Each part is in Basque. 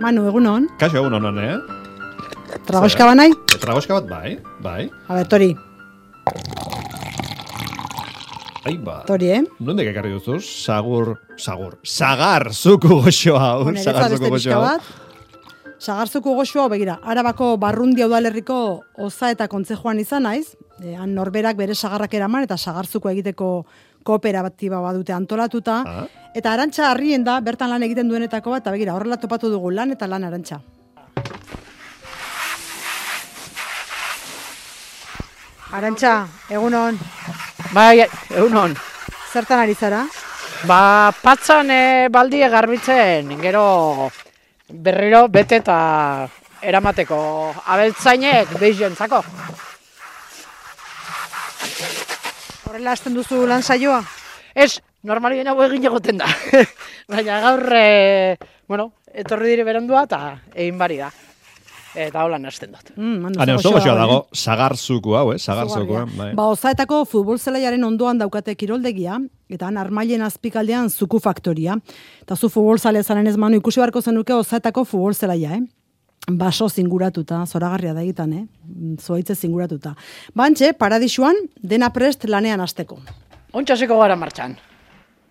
Manu, egunon. Kaixo, egunon, Tragoska banai? Tragoska bat, bai. A ber, Tori. Aiba. Tori, Nondik ekarri duzu? Sagar zuku goxo hau. Sagar zuku goxo hau. Sagar zuku goxo hau, begira, Arabako Barrundia udalerriko Oza eta Kontzejoan izan naiz. Han norberak bere sagarrak eraman eta sagar zuku egiteko kooperatiba badute antolatuta. Eta Arantxa Arrien da, bertan lan egiten duenetako bat, eta begira, horrela topatu dugu lan eta lan Arantxa. Arantxa, egunon. Bai, egunon. Zertan ari zara? Patzan baldie garbitzen, gero berriro bete eta eramateko abeltzainek behizentzako. Horrela hasten duzu lan saioa? Ez, normalien hau egin egoten da. Baina gaur, etorri dire berandua eta egin bari da. Eta holan hasten dut. Oso goxoa dago, sagarzuku hau, sagarzuku. Ozaetako futbol zelaiaren ondoan daukate kiroldegia, eta han Armailen azpikaldean zuku faktoria. Eta zu futbol zale zaren ez Manu, ikusi beharko zenuke Ozaetako futbol zelaia, Baso zinguratuta, zoragarria da egitan, Zuaitze zinguratuta. Bantxe, paradisuan, dena prest lanean hasteko. Ontxaseko gara martxan.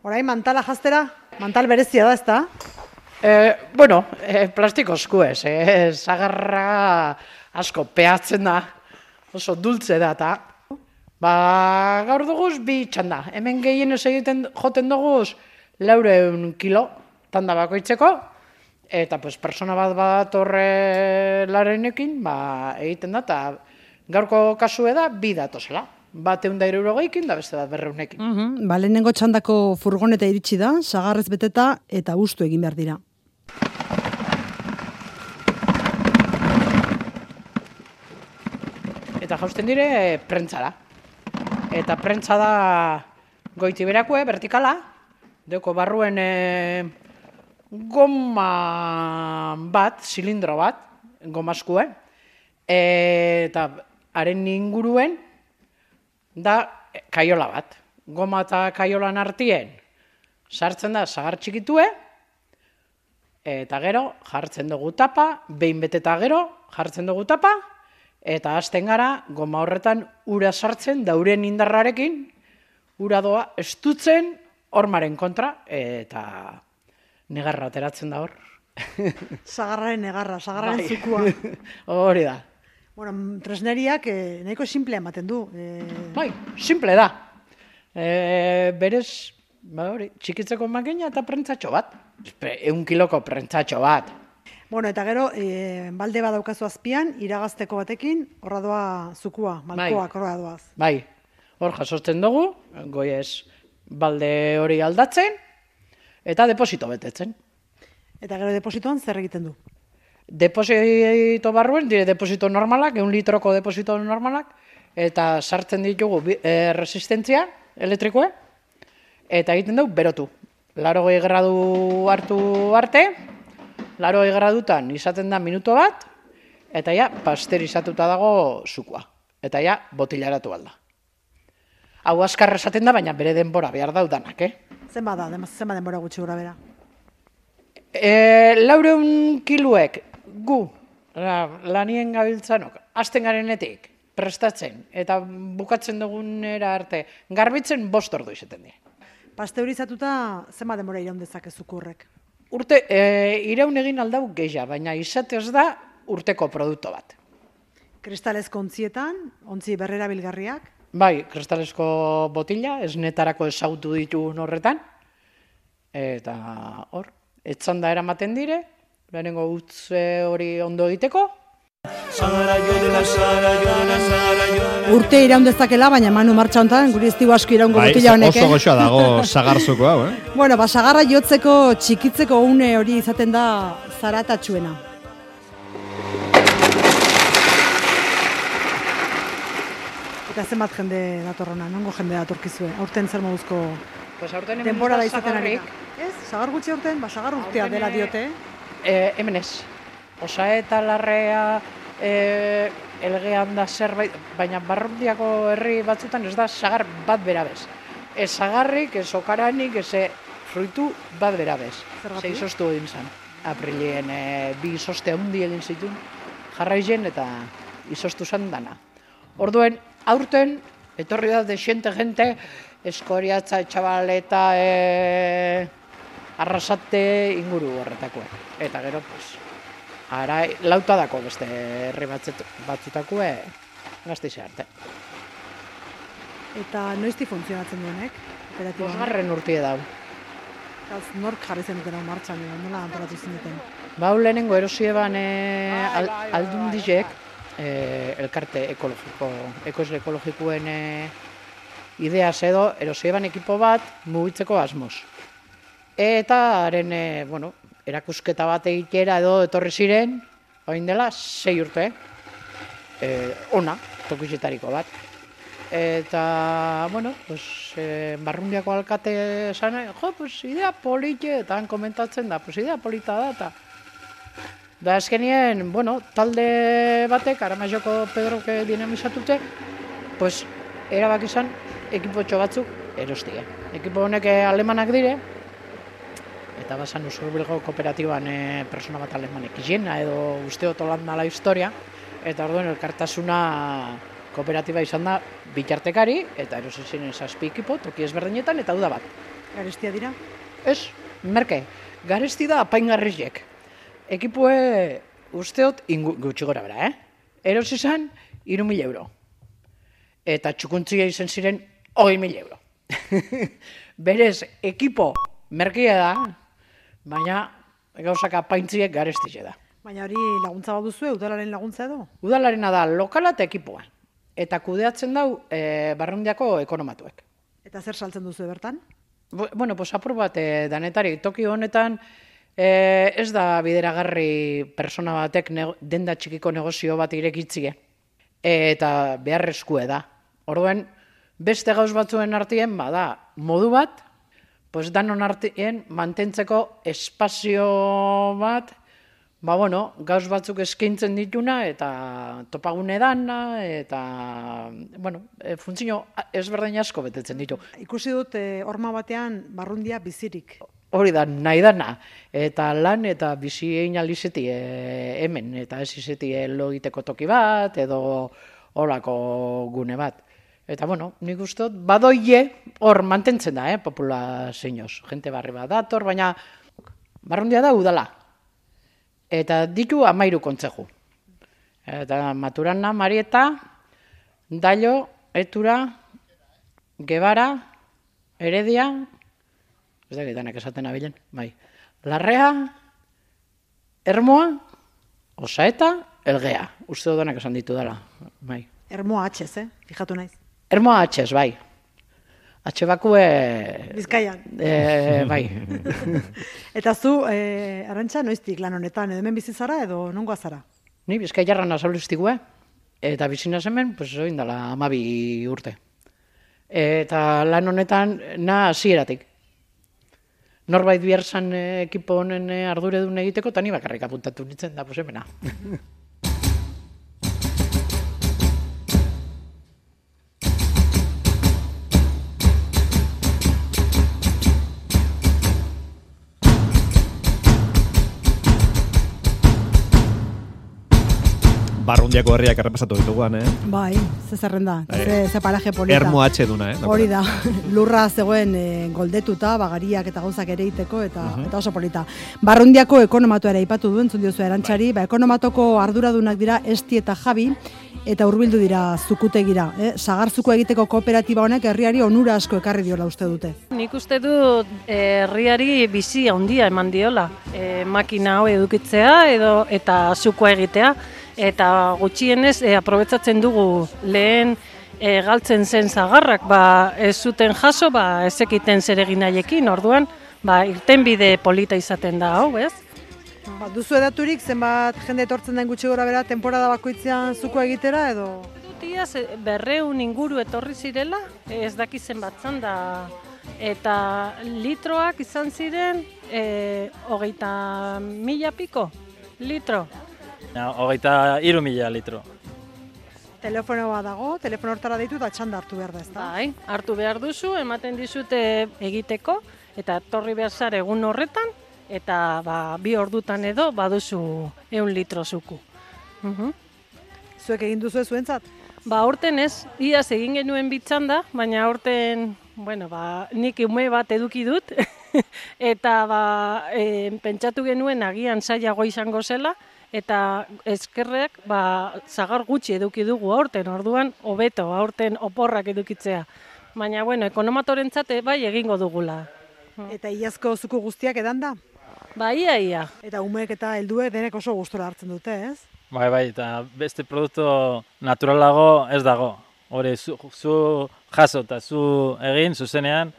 Orain mantala jaztera, mantal berezia da, ezta? Plastiko esku ez, zagarra asko peatzen da, oso dultze da, eta gaur duguz bi txanda. Hemen gehienez egiten joten duguz 400 kilo tanda bakoitzeko, eta persona bat horre larenekin egiten da, eta gaurko kasue da bi datozela. Bat 160 da beste bat 200ekin. Lehenengo txandako furgoneta iritsi da, sagarrez beteta eta ustu egin behar dira. Eta jausten dire prentzara. Eta prentza da goiti berakue, vertikala, deko barruen goma bat, zilindro bat, gomaskue, eta haren inguruen da kaiola bat. Goma eta kaiolan artien sartzen da sagar txikitue, eta gero jartzen dugu tapa, behin beteta gero jartzen dugu tapa, eta hasten gara goma horretan ura sartzen, dauren indarrarekin, ura doa estutzen hormaren kontra, eta negarra ateratzen da hor. Sagarraren negarra, sagarraren zukua. Hori da. Tresneriak nahiko simple ematen du. Bai, simple da. Berez, txikitzeko makina eta prentzatxo bat. 1 kiloko prentzatxo bat. Eta gero, balde bat daukazu azpian, iragazteko batekin, horra doa zukua, malkoak horra doaz. Bai, hor jasotzen dugu, goiez balde hori aldatzen, eta deposito betetzen. Eta gero depositoan zer egiten du? Deposito barruen, dire deposito normalak, 1 litroko deposito normalak, eta sartzen ditugu resistentzia elektrikoa, eta egiten dugu berotu. 80 gradu hartu arte, 80 gradutan izaten da minuto bat, eta pasterizatuta dago zukua. Eta botilaratu alda. Hau azkar esaten da, baina bere denbora behar daudanak, Zenba denbora gutxi gura bera? 400 kiluek gu lanien gabiltzanok, hasten garenetik, prestatzen, eta bukatzen dugunera arte, garbitzen 5 ordu izaten dira. Pasteurizatuta zenba denbora iraun dezakezuku horrek? Urte, iraun egin aldau gehia, baina izatez da urteko produktu bat. Kristalezko ontzietan, ontzi berrerabilgarriak? Bai, kristalezko botila, esnetarako ezagutu ditugun horretan, eta hor, etzanda eramaten dire, lehenengo utze hori ondo egiteko. Urte iraun dezakela, baina Manu martxa honetan, guri ez digu asko iraungo botila honek. Oso goxoa dago sagarzuko hau, Sagarra jotzeko, txikitzeko une hori izaten da zaratatxuena. Eta zenbat jende datorrona, nongo jende datorkizue? Aurten zer moduzko denbora da izaten ari? Ez? Sagar gutxi aurten? Sagar urtea dela diote? Hemen ez. Osaeta larrea, elgean da zerbait, baina Barrundiako herri batzutan ez da sagar bat berabez. Ez sagarrik, ez okaranik, ez fruitu bat berabez. Zeizostu egin zen. aprilien bi izoste handi egin zituen, jarraizen eta izostu zan dana. Orduen, aurten, etorri da desiente gente, eskoriatza, etxabaleta, arrasate inguru horretakoa. Eta gero, pues, ara, lautadako beste herri batzutako Gasteize arte. Eta noizti funtzionatzen duenek? Bosgarren urtie dau. Nork jarri zenuten hau martxan, nola antolatu zineten? Lehenengo erosioeban aldundizek, elkarte ekoizle ekologikoen ideaz edo, erosioeban ekipo bat mugitzeko asmoz. Eta haren, erakusketa bat egitera edo etorri ziren, orain dela 6 urte, ona, tokizetariko bat. Eta, Barrundiako alkate esan, idea polite, eta han komentatzen da, idea polita da, eta... Da, azkenien, talde batek, Aramaioko Pedroke dinamizatute, erabak izan, ekipotxo batzuk erostie. Ekipo honek alemanak dire, eta basan Usurbilgo kooperatiban persona bat alemanek izena, edo usteot Holanda la historia, eta orduen elkartasuna kooperatiba izan da bitartekari, eta erosi ziren 7 ekipo, toki ezberdinetan, eta uda bat. Garestia dira? Ez, merke, garesti da apaingarriek. Ekipoe usteot gutxi gora bera, Erosi izan 3.000 euro. Eta txukuntzia izan ziren 20.000 euro. Berez, ekipo merkia da, baina gauzak apaintziek garestize da. Baina hori laguntza bat duzu, udalaren laguntza edo? Udalarena da lokala eta ekipoa. Eta kudeatzen dau Barrundiako ekonomatuek. Eta zer saltzen duzu bertan? Apur bat danetari. Toki honetan ez da bideragarri persona batek denda txikiko negozio bat irekitzie. Eta beharrezkue da. Orduen, beste gauz batzuen artien, bada, modu bat, danon artien mantentzeko espazio bat, gauz batzuk eskaintzen dituna, eta topagune dana, eta, funtzio ezberdin asko betetzen ditu. Ikusi dut, horma batean, Barrundia bizirik. Hori da, nahi dana, eta lan eta bizi egin alizeti hemen, eta ez izeti logiteko toki bat, edo holako gune bat. Eta, nik uste dut, badoie hor mantentzen da, populazioz. Gente barri bat dator, baina Barrundia da udala. Eta ditu 13 kontzeju. Eta Maturana, Marieta, Dallo, Etura, Gebara, Heredia, ez da gitanak esaten abilen, Larrea, Ermoa, Osaeta, Elgea. Uste dudanak esan ditu dela, Ermoa atxez, fijatu naiz. Ermoa atxez, Atxe bakue... Bizkaian. Bai. Eta zu, Arantxa, noiztik lan honetan, edo hemen bizi zara edo nongoa zara? Ni Bizkaiarran azaluztikue, eta bizina hemen, oin dela 12 urte. Eta lan honetan, hasieratik. Norbait biharzan ekipo honen arduredun egiteko, eta ni bakarrik apuntatu nintzen da, hemena. Barrundiako herriak errepasatu dituguan, Bai, ze zerrenda, ze paraje polita. Ermo atxe duna, Hori da, lurra zegoen goldetuta, bagariak eta gauzak ere iteko, eta oso polita. Barrundiako ekonomatu ere ipatu duen, zundiozu Arantxari, ekonomatoko arduradunak dira Esti eta Javi, eta hurbildu dira zukutegira. Sagarzuko egiteko kooperatiba honek herriari onura asko ekarri diola uste dute. Nik uste dut herriari bizi handia eman diola. Makina hau edukitzea eta zukoa egitea. Eta gutxienez aprobetsatzen dugu lehen galtzen zen zagarrak, ez zuten jaso, ezekiten zeregin haiekin, orduan, irtenbide polita izaten da hau, ez? Duzu edaturik, zenbat jende etortzen den gutxi gora bera, temporada bakoitzean zuko egitera, edo? Dutiaz, 200 inguru etorri zirela, ez dakizen bat zan da, eta litroak izan ziren, 20.000 piko litro. 23.000 litro. Telefonoa dago, telefono hortara deitu eta txanda hartu behar da, ezta? Bai, hartu behar duzu, ematen dizute egiteko, eta etorri behar zara egun horretan, eta 2 ordutan edo baduzu 100 litro zuku. Zuek egin duzu zuentzat? Aurten ez, iaz egin genuen bitzanda, baina aurten, nik ume bat eduki dut, eta pentsatu genuen agian zailago izango zela, eta eskerrek sagar gutxi eduki dugu aurten, orduan hobeto aurten oporrak edukitzea. Baina, ekonomatorentzat bai egingo dugula. Eta iazko zuku guztiak edan da? Ia. Eta umeek eta helduek denek oso gustora hartzen dute, ez? Bai, eta beste produktu naturalago ez dago. Hore, zu jaso eta zu egin, zuzenean,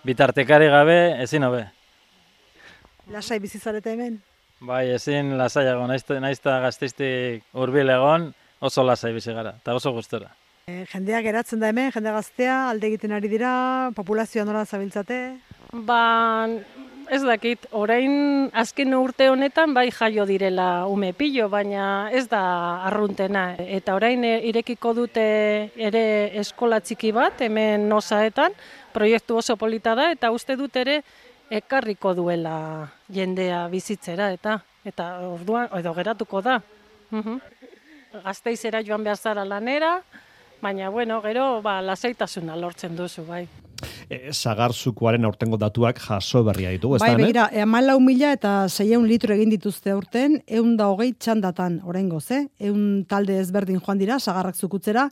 bitartekari gabe ezin hobe. Lasai bizizarete hemen? Bai, ezin lasaiago, naizta Gasteiztik hurbil egon, oso lasai bizi gara, eta oso gustora. Jendeak geratzen da hemen, jende gaztea, alde egiten ari dira, populazioa nola zabiltzate? Ez dakit, orain azken urte honetan bai jaio direla ume pilo, baina ez da arruntena. Eta orain irekiko dute ere eskola txiki bat, hemen Nosaetan, proiektu oso polita da, eta uste dut ere ekarriko duela jendea bizitzera, eta orduan, edo geratuko da. Gasteizera joan behar zara lanera, baina gero lasaitasuna lortzen duzu, bai. Sagarzukoaren aurtengo datuak jaso berria ditugu, ez da? Bai, begira, 14.000 eta 600 litro egin dituzte aurten, 120 txandatan oraingoz, 100 talde ezberdin joan dira, sagarrak zukutzera,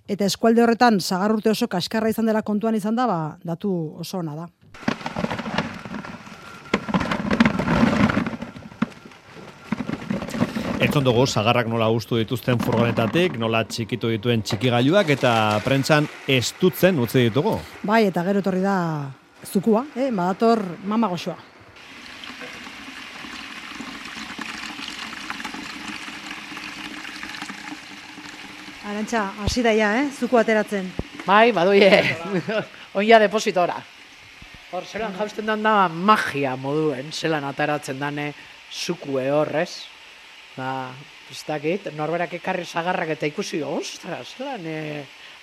eta eskualde horretan sagar urte oso kaskarra izan dela kontuan izan da, datu oso ona da. Entzun dugu, sagarrak nola ustu dituzten furgonetatik, nola txikitu dituen txikigailuak eta prentsan estutzen utzi ditugu. Bai, eta gero etorri da zukua, badator mama goxoa. Arantxa, hasi daia, zuku ateratzen. Bai, baduie, oia depositora. Hor, zelan jausten da magia moduen, zelan ateratzen dane zukue horrez. Ez dakit, norberak ekarri sagarrak eta ikusi, ostras, zelan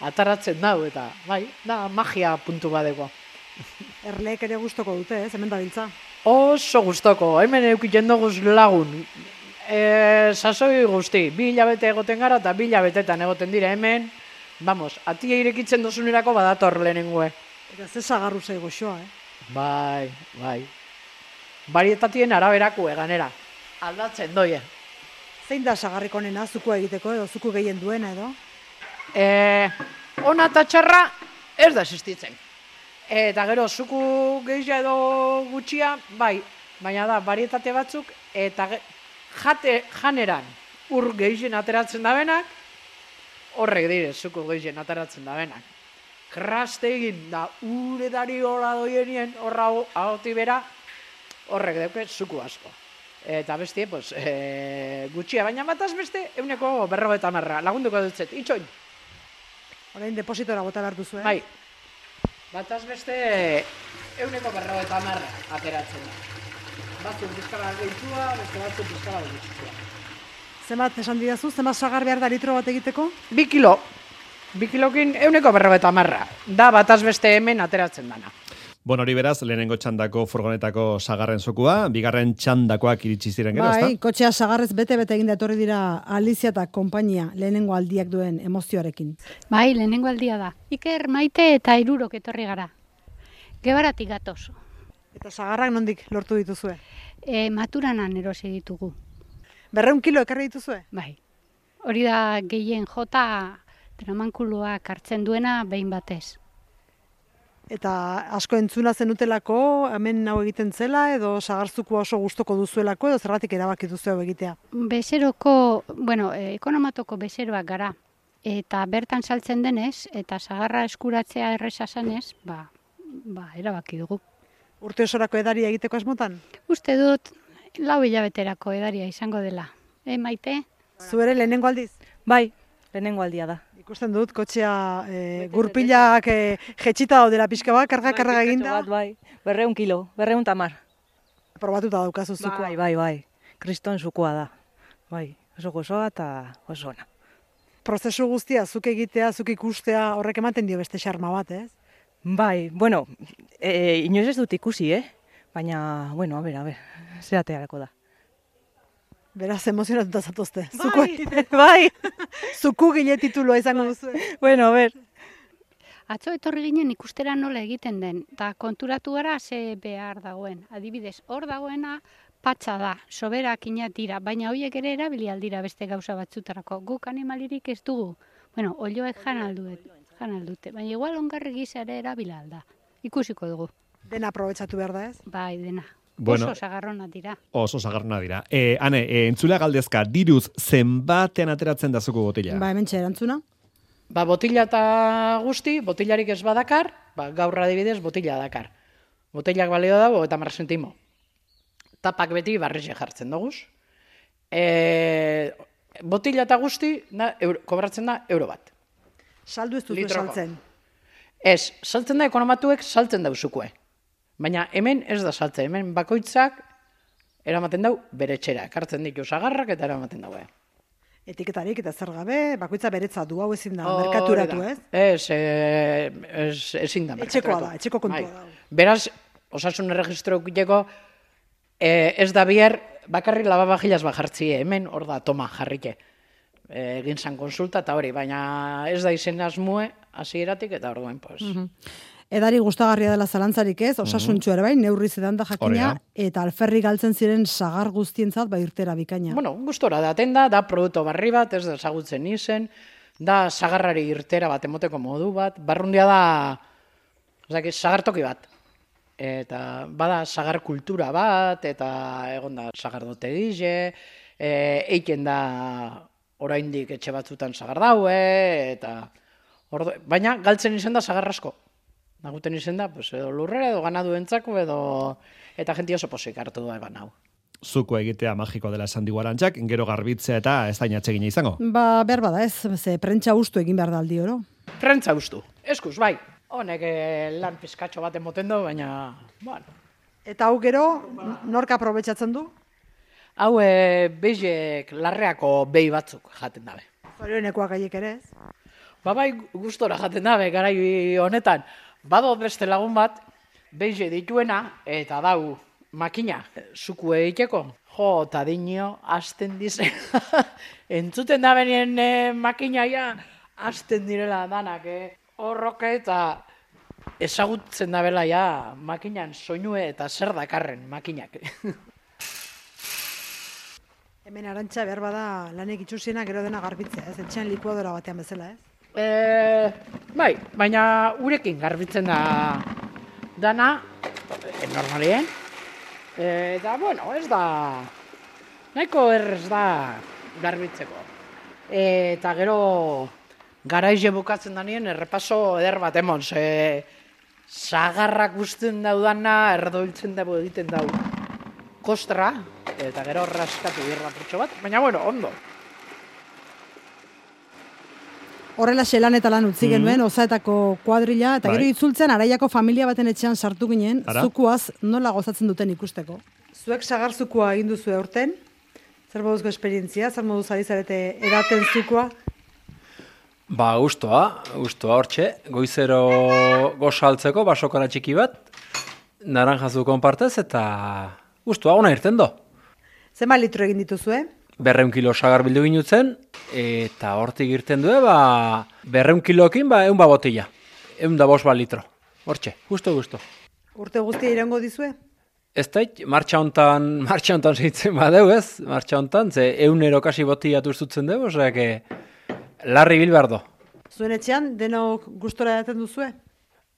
ataratzen dau, eta bai, da magia puntu badeko. Erleek ere gustoko dute, hemen dabiltza. Oso gustoko, hemen eukiten duguz lagun. Sasoi guzti, 2 hilabete egoten gara eta 2 hilabetetan egoten dira hemen. Vamos, atia irekitzen dozunerako badator lehenengue. Eta ze sagarru zei goxoa, Bai. Barietatien araberako eganera. Aldatzen doie. Zein da sagarrik onena zukua egiteko edo zuku gehien duena edo? Ona eta txarra ez da existitzen. Eta gero zuku gehia edo gutxia, bai, baina da barietate batzuk eta janeran ur gehien ateratzen dabenak, horrek dire zuku gehien ateratzen dabenak. Kraste egin da uredari hola doienien horra agoti bera, horrek dauke zuku asko. Eta bestie, gutxia, baina bataz beste, 150 lagunduko dutzet, itxoin. Orain depositora bota behar duzu, Bai, bataz beste, 150 ateratzen da. Batzuk bizkala gehitua, beste batzuk bizkala gehitua. Zenbat esan didazu, zenbat sagar behar da litro bat egiteko? 2 kilo. 2 kilokin 150 da bataz beste hemen ateratzen dana. Bueno, hori beraz, lehenengo txandako furgonetako sagarren zokua, bigarren txandakoak iritsi ziren gero, ezta? Bai, kotxea sagarrez bete-bete egin etorri dira Alizia eta konpainia lehenengo aldiak duen emozioarekin. Bai, lehenengo aldia da. Iker, Maite eta Hirurok etorri gara. Gebaratik gatoz. Eta sagarrak nondik lortu dituzue? Maturanan erosi ditugu. 200 kilo ekarri dituzue? Bai. Hori da gehien jota tramankuloak hartzen duena behin batez. Eta asko entzuna zenutelako, hemen hau egiten zela, edo sagarzukua oso gustoko duzuelako, edo zergatik erabaki duzu hau egitea? Bezeroko, ekonomatoko bezeroak gara. Eta bertan saltzen denez, eta sagarra eskuratzea erresa zanez, erabaki dugu. Urte osorako edaria egiteko asmotan? Uste dut, 4 hilabeterako edaria izango dela. Maite? Zu ere lehenengo aldiz? Bai, lehenengo aldia da. Ikusten dut, kotxea gurpilak jetxita daudela pixka bat, karga eginda. Bai, 200 kilo, 210. Probatuta daukazu zukua. Bai, kriston zukua da. Bai, oso gozoa eta oso ona. Prozesu guztia, zuk egitea, zuk ikustea, horrek ematen dio beste xarma bat, ez? Bai, inoiz ez dut ikusi, Baina, bueno, a ber, zeratearako da. Beraz, emozionatuta zatozte. Bai, Zuku gile titulua izango duzu. bueno, a ber. Atzo etorri ginen ikustera nola egiten den, eta konturatu gara ze behar dagoen. Adibidez, hor dagoena patxa da, soberakinak dira, baina horiek ere erabili aldira beste gauza batzutarako. Guk animalirik ez dugu. Bueno, olioek jan aldute, baina igual ongarri gisa ere erabila alda. Ikusiko dugu. Dena aprobetxatu behar da ez? Bai, dena. Bueno, Oso sagarrona dira. Oso sagarrona dira. Ane, entzulea galdezka, diruz zenbatean ateratzen da zuku botila? Ba, hemen erantzuna. Ba, botila eta guzti, botilarik ez badakar, ba, gaur adibidez botila dakar. Botilak balio dago eta 10 zentimo. Tapak beti barrixe jartzen doguz. Botila eta guzti kobratzen da €1. Saldu ez duzu Litroko. saltzen. Ez, saltzen da ekonomatuek saltzen dauzukue. Baina hemen ez da saltzen, hemen bakoitzak eramaten dau bere etxera. Ekartzen ditu sagarrak eta eramaten daue. Etiketarik eta zer gabe, bakoitza beretza du, hau ezin da, merkaturatu ez? Ezin da. Etxekoa merkaturatu. da, etxeko kontua Bai. da. Beraz, osasun erregistrokuteko ez da bier bakarrik lavabajillas bajartzie, hemen hor da toma jarrike. Egin zan konsulta eta hori, baina ez da izen asmue hasieratik eta orduen, pues. Edari gustagarria dela zalantzarik ez, osasuntxu ere bai, neurri zedan da jakina, Hori da. eta alferri galtzen ziren sagar guztientzat bai irtera bikaina. Bueno, gustora daten da produktu barri bat, ez da ezagutzen izen, da sagarrari irtera bat emoteko modu bat, barrundia da, sagartoki bat. Eta bada sagar kultura bat, eta egon da sagardote dize, eiken da oraindik etxe batzutan sagar daue, eta baina galtzen izen da sagar asko. Naguten izen da, pues, edo lurrera, edo ganadu entzako, edo eta jenti oso posik hartu da eban hau. Zuko egitea magiko dela esan digu Arantxak, gero garbitzea eta ez da inatsegina izango. Ba, behar bada ez, ze prentsa ustu egin behar da aldi oro. Prentza ustu, eskuz, bai. Honek lan pizkatxo bat emoten du, baina, bueno. Eta hau gero, nork aprobetxatzen du? Hau beizek larreako behi batzuk jaten dabe. Zorionekoak gaiek ere ez? Ba bai, gustora jaten dabe, garai honetan. Bado beste lagun bat, beize dituena, eta dau makina, zuku egiteko. Jo, eta dinio, hasten dize. Entzuten da benien makinaia, hasten direla danak, horroke eta ezagutzen da bela ja, makinan soinue eta zer dakarren makinak. Hemen Arantxa behar bada lanek itxusiena gero dena garbitzea, ez? Etxean likuadora batean bezala, ez? Bai, baina urekin garbitzen da dana, normalien. Eta, bueno, ez da, nahiko errez da garbitzeko. Eta gero, garaize bukatzen da nien, errepaso eder bat emon, sagarrak guztien daudana, erdoiltzen dago egiten dau kostra, eta gero raskatu irrapurtxo bat, baina, bueno, ondo. Horrela lan eta lan utzi genuen, osaetako kuadrilla, eta gero Bai. itzultzen araiako familia baten etxean sartu ginen, Ara? zukuaz nola gozatzen duten ikusteko. Zuek sagar zukua egin duzu aurten, zer moduzko esperientzia, zer moduz ari zarete edaten zukua? Ba, gustoa hortxe, goizero gozaltzeko basokara txiki bat, naranjazu konpartez eta gustoa ona irten do. Zema litro egin dituzue? 200 kilo sagar bildu ginutzen, eta hortik irten du, 200 kilokin, 100 botila. 105 litro. Hortxe, gusto. Urte guztia iraungo dizue? Ez dait, martxa hontan segitzen badeu, ez? Martxa hontan, ze 100 kasi botila turzutzen dugu, osea, larri bil behar do. Zuen etxean denok gustora edaten duzue?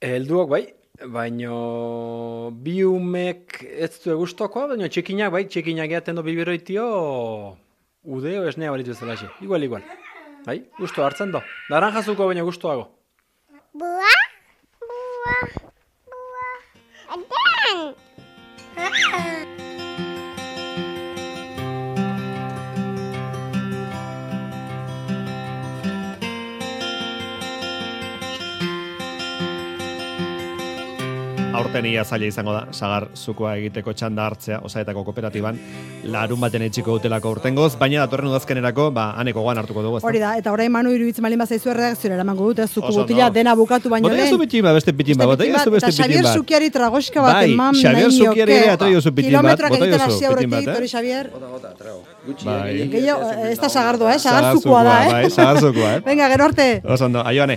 Helduok bai, baino bi umek ez du gustokoa, baina txikinak eaten do biberoitio udeo esnea balitu zelaxe. Igual. Bai, gusto hartzen do. Naranjazuko baina gustoago. aurten ia zaila izango da, sagar zukua egiteko txanda hartzea, Osaetako kooperatiban, larun baten etxiko dutelako urtengoz, baina datorren udazkenerako, aneko goan hartuko dugu. Hori da, eta orain Manu iruditzen malin bazaizu erredakziora eramango dut, zuku botila dena bukatu baino lehen. Botella zu bitin bat, beste bitin bat, Eta Xavier Zukiari tragoxka bat eman nahi Xavier Zukiari ere atraio zu bitin bat, kilometroak egiten hasi aurretik, Tori Xavier. Bai. Gehiago, ez da sagardoa, sagar zukua da, Bai, sagar zukua, Venga, gero arte. Oso ondo, aioane.